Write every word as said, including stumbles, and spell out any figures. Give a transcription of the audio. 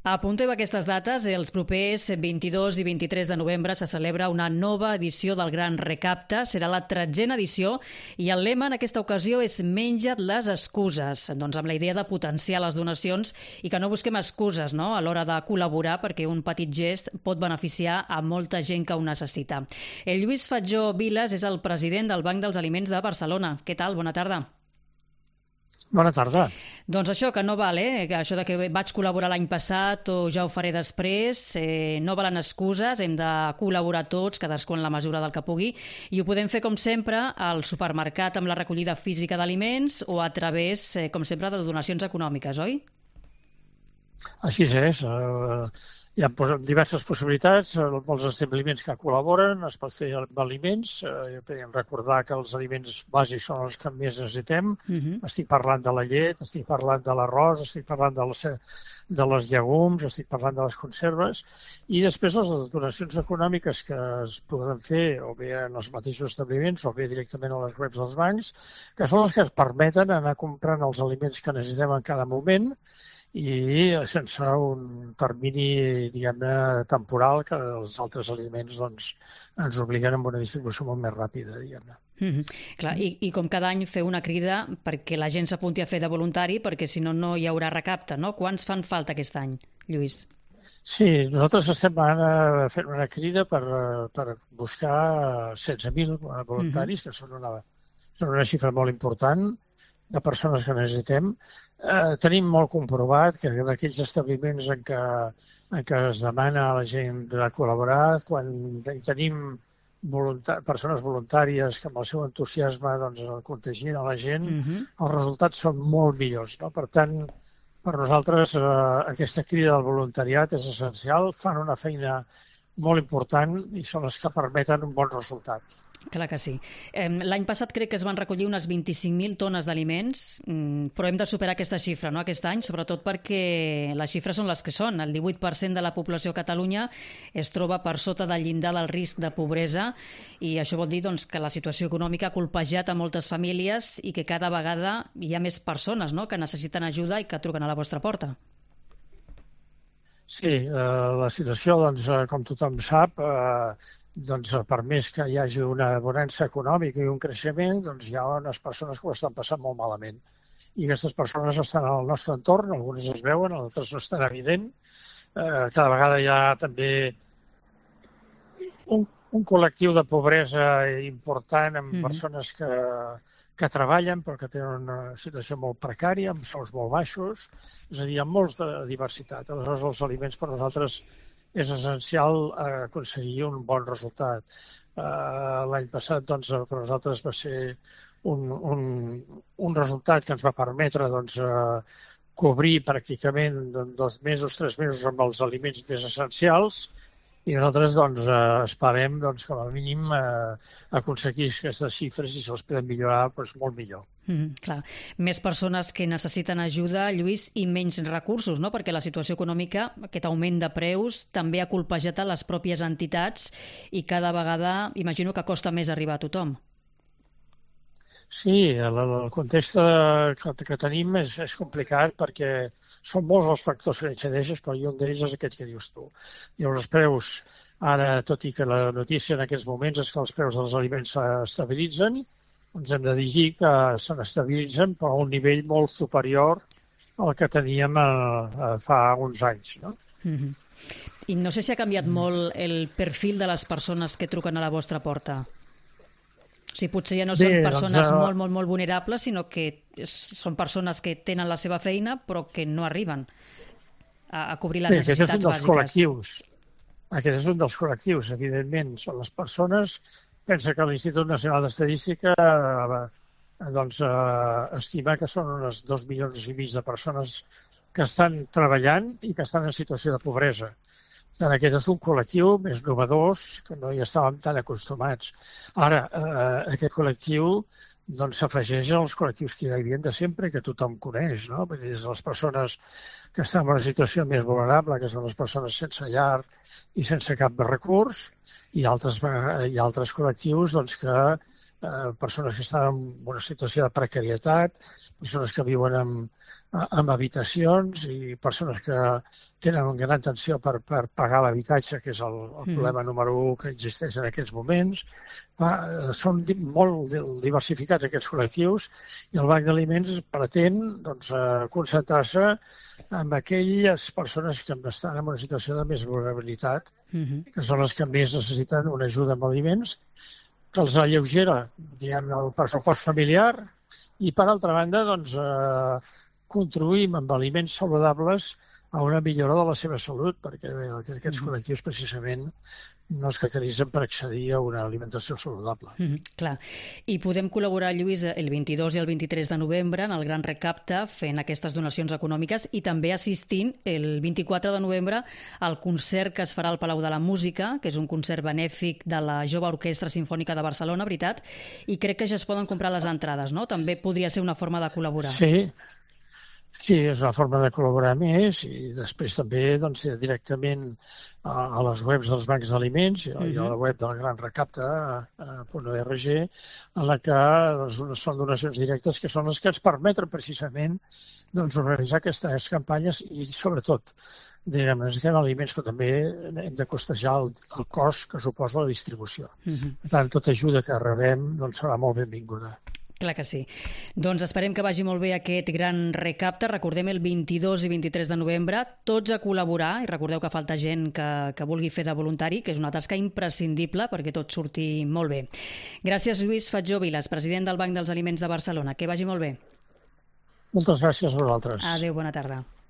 Apunteu aquestes dates. Els propers vint-i-dos i vint-i-tres de novembre se celebra una nova edició del Gran Recapte. Serà la tretzena edició i el lema en aquesta ocasió és Menja't les excuses. Doncs amb la idea de potenciar les donacions i que no busquem excuses, no?, a l'hora de col·laborar, perquè un petit gest pot beneficiar a molta gent que ho necessita. El Lluís Fatjó Vilas és el president del Banc dels Aliments de Barcelona. Què tal? Bona tarda. Bona tarda. Doncs això, que no val, eh? Que això de que vaig col·laborar l'any passat o ja ho faré després, eh, no valen excuses, hem de col·laborar tots, cadascú en la mesura del que pugui, i ho podem fer, com sempre, al supermercat amb la recollida física d'aliments o a través, eh, com sempre, de donacions econòmiques, oi? Així és. Uh, hi ha diverses possibilitats. Molts establiments que col·laboren, es pot fer amb aliments. Uh, podem recordar que els aliments bàsics són els que més necessitem. Uh-huh. Estic parlant de la llet, estic parlant de l'arròs, estic parlant de les, de les llegums, estic parlant de les conserves. I després les donacions econòmiques que es poden fer o bé en els mateixos establiments o bé directament a les webs dels bancs, que són les que es permeten anar comprant els aliments que necessitem en cada moment i sense un termini, diguem-ne, temporal, que els altres aliments doncs, ens obliguen a una distribució molt més ràpida, diguem-ne. Mm-hmm. Clar, i, i com cada any fer una crida perquè la gent s'apunti a fer de voluntari, perquè si no, no hi haurà recapte, no? Quants fan falta aquest any, Lluís? Sí, nosaltres estem ara fent una crida per, per buscar setze mil voluntaris, mm-hmm. que són una, són una xifra molt important de persones que necessitem. Eh, tenim molt comprovat que en aquells establiments en què, en què es demana a la gent de col·laborar, quan tenim volunta- persones voluntàries que amb el seu entusiasme doncs, contagien a la gent, uh-huh. els resultats són molt millors. No? Per tant, per nosaltres eh, aquesta crida del voluntariat és essencial, fan una feina molt important i són les que permeten un bon resultat. Clar que sí. L'any passat crec que es van recollir unes vint-i-cinc mil tones d'aliments, però hem de superar aquesta xifra, no?, aquest any, sobretot perquè les xifres són les que són. El divuit per cent de la població a Catalunya es troba per sota del llindar del risc de pobresa i això vol dir doncs, que la situació econòmica ha colpejat a moltes famílies i que cada vegada hi ha més persones, no?, que necessiten ajuda i que truquen a la vostra porta. Sí, eh, la situació, doncs, com tothom sap, eh, doncs, per més que hi hagi una bonança econòmica i un creixement, doncs hi ha unes persones que ho estan passant molt malament. I aquestes persones estan al nostre entorn, algunes es veuen, altres no estan evident. Eh, cada vegada hi ha també un, un col·lectiu de pobresa important amb mm-hmm. persones que, que treballen però que tenen una situació molt precària, amb sous molt baixos, és a dir, amb molta diversitat. Aleshores, els aliments per nosaltres és essencial aconseguir un bon resultat. Uh, L'any passat, doncs, per nosaltres va ser un, un, un resultat que ens va permetre doncs, uh, cobrir pràcticament dos mesos, tres mesos amb els aliments més essencials i nosaltres doncs, uh, esperem doncs, com a mínim uh, aconseguir aquestes xifres i si els podem millorar, doncs, molt millor. Mm, clar. Més persones que necessiten ajuda, Lluís, i menys recursos, no? Perquè la situació econòmica, aquest augment de preus, també ha colpejat a les pròpies entitats i cada vegada imagino que costa més arribar a tothom. Sí, el, el context que, que tenim és, és complicat perquè són molts els factors que incideixen, però un d'ells és aquest que dius tu. Dius, els preus, ara, tot i que la notícia en aquests moments és que els preus dels aliments s'estabilitzen, ens hem de dir que se n'estabilitzen però a un nivell molt superior al que teníem a, a fa uns anys. No? Mm-hmm. I no sé si ha canviat mm. molt el perfil de les persones que truquen a la vostra porta. O sigui, potser ja no són Bé, persones doncs, uh... molt, molt, molt vulnerables, sinó que són persones que tenen la seva feina però que no arriben a, a cobrir les Bé, necessitats aquest és un dels bàsiques. Col·lectius. Aquest és un dels col·lectius, evidentment. Són les persones. Pensa que l'Institut Nacional d'Estadística eh, doncs, eh, estima que són uns dos milions i mig de persones que estan treballant i que estan en situació de pobresa. Tant aquest és un col·lectiu més novedós que no hi estàvem tan acostumats. Ara, eh, aquest col·lectiu doncs, s'afegeix als col·lectius que hi havia de sempre i que tothom coneix, no? Vull dir, les persones que estan en una situació més vulnerable, que són les persones sense llar i sense cap recurs, i altres, i altres col·lectius doncs, que eh, persones que estan en una situació de precarietat, persones que viuen amb, amb habitacions i persones que tenen una gran tensió per, per pagar l'habitatge, que és el, el mm. problema número un que existeix en aquests moments. Va, són di molt diversificats aquests col·lectius i el Banc d'Aliments pretén doncs, concentrar-se en aquelles persones que estan en una situació de més vulnerabilitat, mm-hmm. que són les que més necessiten una ajuda amb aliments, que els alleugera, diguem, el pressupost familiar i, per altra banda, doncs, eh, contribuïm amb aliments saludables a una millora de la seva salut, perquè bé, aquests mm. col·lectius precisament no es caracteritzen per accedir a una alimentació saludable. Mm, clar. I podem col·laborar, Lluís, el vint-i-dos i el vint-i-tres de novembre en el Gran Recapte fent aquestes donacions econòmiques i també assistint el vint-i-quatre de novembre al concert que es farà al Palau de la Música, que és un concert benèfic de la Jove Orquestra Simfònica de Barcelona, veritat? I crec que ja es poden comprar les entrades, no? També podria ser una forma de col·laborar. Sí, Sí, és una forma de col·laborar més i després també doncs, directament a, a les webs dels bancs d'aliments i, uh-huh. i a la web del Gran Recapte punt org, en la que doncs, són donacions directes que són les que ens permeten precisament doncs, organitzar aquestes campanyes i sobretot diguem, necessitem aliments, però també hem de costejar el, el cost que suposa la distribució. Uh-huh. Per tant, tota ajuda que rebem doncs, serà molt benvinguda. Clar que sí. Doncs esperem que vagi molt bé aquest gran recapte. Recordem el vint-i-dos i vint-i-tres de novembre, tots a col·laborar, i recordeu que falta gent que, que vulgui fer de voluntari, que és una tasca imprescindible perquè tot surti molt bé. Gràcies, Lluís Fatjó Vilas, president del Banc dels Aliments de Barcelona. Que vagi molt bé. Moltes gràcies a vosaltres. Adéu, bona tarda.